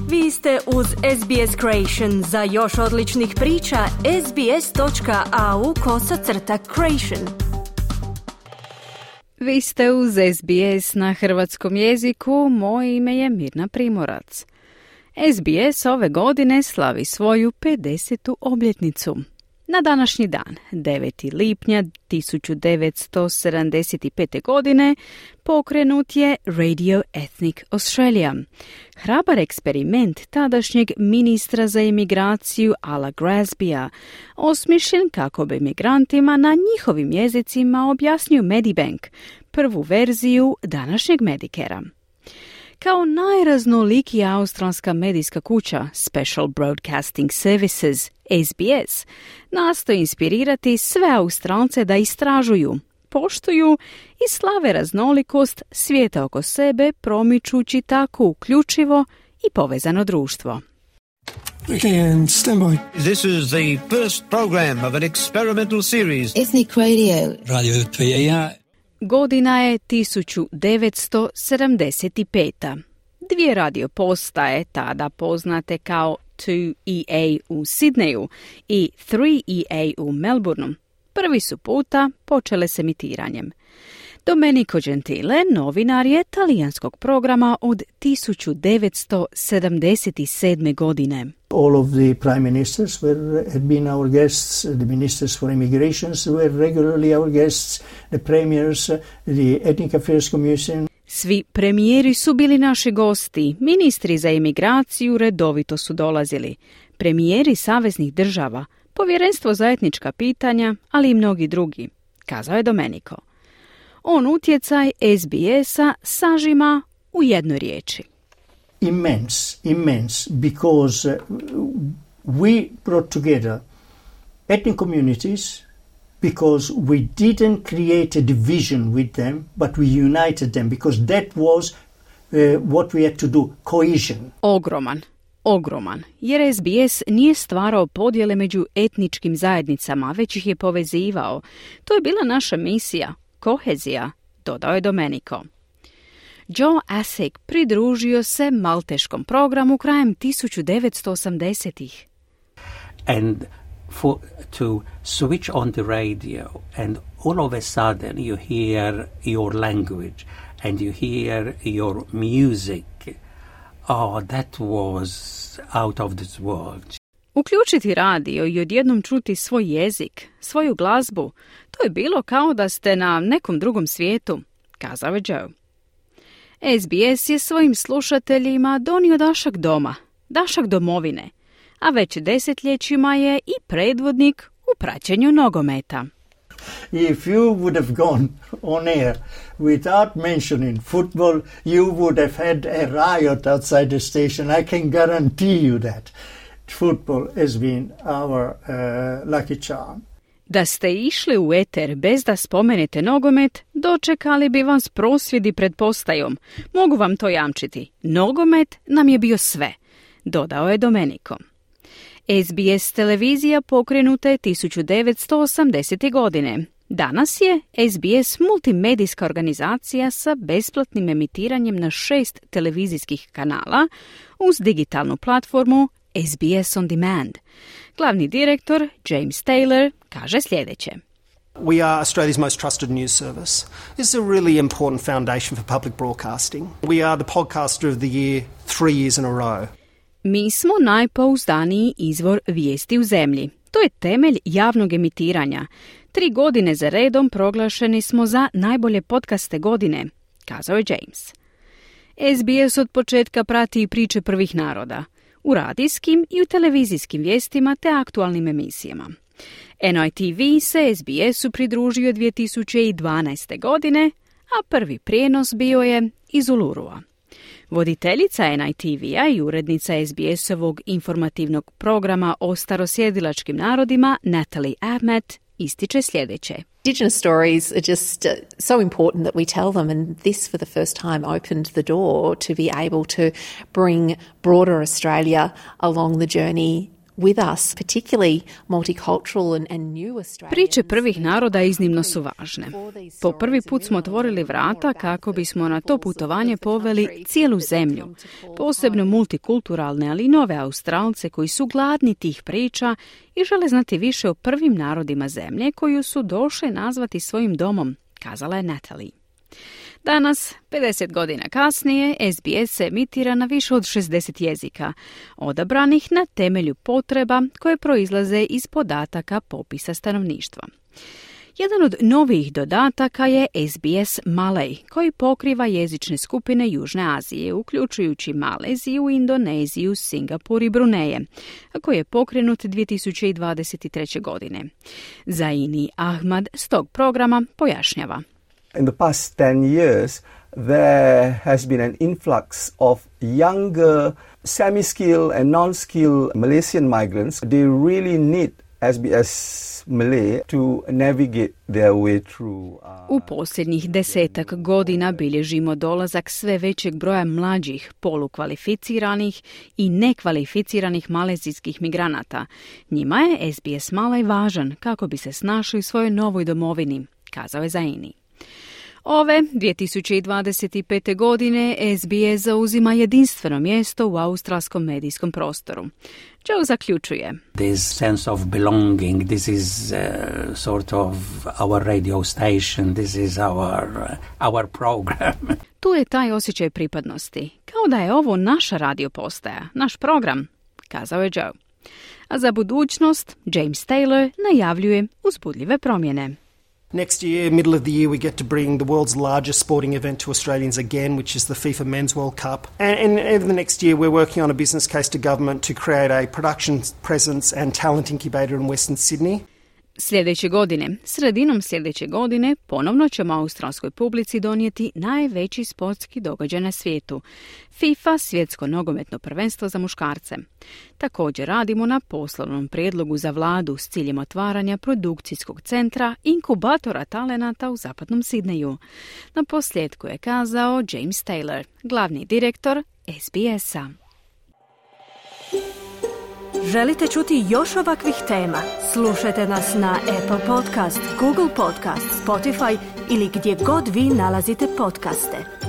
Vi ste uz SBS Creation. Za još odličnih priča, sbs.au/creation. Vi ste uz SBS na hrvatskom jeziku. Moje ime je Mirna Primorac. SBS ove godine slavi svoju 50. obljetnicu. Na današnji dan, 9. lipnja 1975. godine, pokrenut je Radio Ethnic Australia. Hrabar eksperiment tadašnjeg ministra za imigraciju Ala Grasbya, osmišljen kako bi migrantima na njihovim jezicima objasnio Medibank, prvu verziju današnjeg Medicarea. Kao najraznolikija australska medijska kuća Special Broadcasting Services, SBS, nastoji inspirirati sve Australce da istražuju, poštuju i slave raznolikost svijeta oko sebe, promičući tako uključivo i povezano društvo. Okay, and stand by. This is the first program of an experimental series. Ethnic Radio. Radio PAR. Godina je 1975. Dvije radio postaje, tada poznate kao 2EA u Sidneju i 3EA u Melbourneu, prvi su puta počele s emitiranjem. Domenico Gentile, novinar je talijanskog programa od 1977. godine. All of the prime ministers had been our guests, the ministers for immigrations were regularly our guests, the premiers, the Ethnic Affairs Commission. Svi premijeri su bili naši gosti, ministri za imigraciju redovito su dolazili, premijeri saveznih država, povjerenstvo za etnička pitanja, ali i mnogi drugi, kazao je Domenico. On utjecaj SBS-a sažima u jednoj riječi. Immense, because we brought together ethnic communities, because we didn't create a division with them, but we united them, because that was what we had to do, cohesion. Ogroman, jer SBS nije stvarao podjele među etničkim zajednicama, već ih je povezivao. To je bila naša misija, kohezija, dodao je Domenico. Joe Asek pridružio se malteškom programu krajem 1980-ih. And to switch on the radio and all of a sudden you hear your language and you hear your music. Oh, that was out of this world. Uključiti radio i odjednom čuti svoj jezik, svoju glazbu, to je bilo kao da ste na nekom drugom svijetu, kazao je Joe. SBS je svojim slušateljima donio dašak doma, dašak domovine, a već desetljećima je i predvodnik u praćenju nogometa. If you would have gone on air without mentioning football, you would have had a riot outside the station. I can guarantee you that. Football has been our lucky charm. Da ste išli u eter bez da spomenete nogomet, dočekali bi vas prosvjedi pred postajom. Mogu vam to jamčiti. Nogomet nam je bio sve, dodao je Domenico. SBS televizija pokrenuta je 1980. godine. Danas je SBS multimedijska organizacija sa besplatnim emitiranjem na 6 televizijskih kanala uz digitalnu platformu SBS On Demand. Glavni direktor James Taylor kaže sljedeće. We are Australia's most trusted news service. This is a really important foundation for public broadcasting. We are the podcaster of the year 3 years in a row. Mi smo najpouzdaniji izvor vijesti u zemlji. To je temelj javnog emitiranja. 3 godine za redom proglašeni smo za najbolje podcaste godine, kazao je James. SBS od početka prati i priče prvih naroda, u radijskim i u televizijskim vijestima te aktualnim emisijama. NITV se SBS-u pridružio 2012. godine, a prvi prijenos bio je iz Ulurua. Voditeljica NITV-a i urednica SBS-ovog informativnog programa o starosjedilačkim narodima Natalie Ahmed ističe sljedeće. Indigenous stories are just so important that we tell them, and this for the first time opened the door to be able to bring broader Australia along the journey with us, particularly multicultural and new Australians. Priče prvih naroda iznimno su važne. Po prvi put smo otvorili vrata kako bismo na to putovanje poveli cijelu zemlju, posebno multikulturalne, ali i nove Australce koji su gladni tih priča i žele znati više o prvim narodima zemlje koju su došli nazvati svojim domom, kazala je Natalie. Danas, 50 godina kasnije, SBS se emitira na više od 60 jezika, odabranih na temelju potreba koje proizlaze iz podataka popisa stanovništva. Jedan od novijih dodataka je SBS Malay, koji pokriva jezične skupine Južne Azije, uključujući Maleziju, Indoneziju, Singapur i Bruneje, a koji je pokrenut 2023. godine. Zaini Ahmad s tog programa pojašnjava. In the past 10 years, there has been an influx of younger, semi-skilled and non-skilled Malaysian migrants. They really need SBS Malay to navigate their way through. U posljednjih 10 godina bilježimo dolazak sve većeg broja mlađih, polukvalificiranih i nekvalificiranih malezijskih migranata. Njima je SBS Malay važan kako bi se snašli u svojoj novoj domovini, kazao je Zaini. Ove 2025. godine SBS zauzima jedinstveno mjesto u australskom medijskom prostoru. Joe zaključuje. This sense of belonging, this is sort of our radio station, this is our program. Tu je taj osjećaj pripadnosti, kao da je ovo naša radio postaja, naš program, kazao je Joe. A za budućnost James Taylor najavljuje uzbudljive promjene. Next year, middle of the year, we get to bring the world's largest sporting event to Australians again, which is the FIFA Men's World Cup. And over the next year, we're working on a business case to government to create a production presence and talent incubator in Western Sydney. Sredinom sljedeće godine, ponovno ćemo australskoj publici donijeti najveći sportski događaj na svijetu, FIFA svjetsko nogometno prvenstvo za muškarce. Također radimo na poslovnom prijedlogu za vladu s ciljem otvaranja produkcijskog centra inkubatora talenata u zapadnom Sidneju. Na posljedku je kazao James Taylor, glavni direktor SBS-a. Želite čuti još ovakvih tema? Slušajte nas na Apple Podcast, Google Podcast, Spotify ili gdje god vi nalazite podcaste.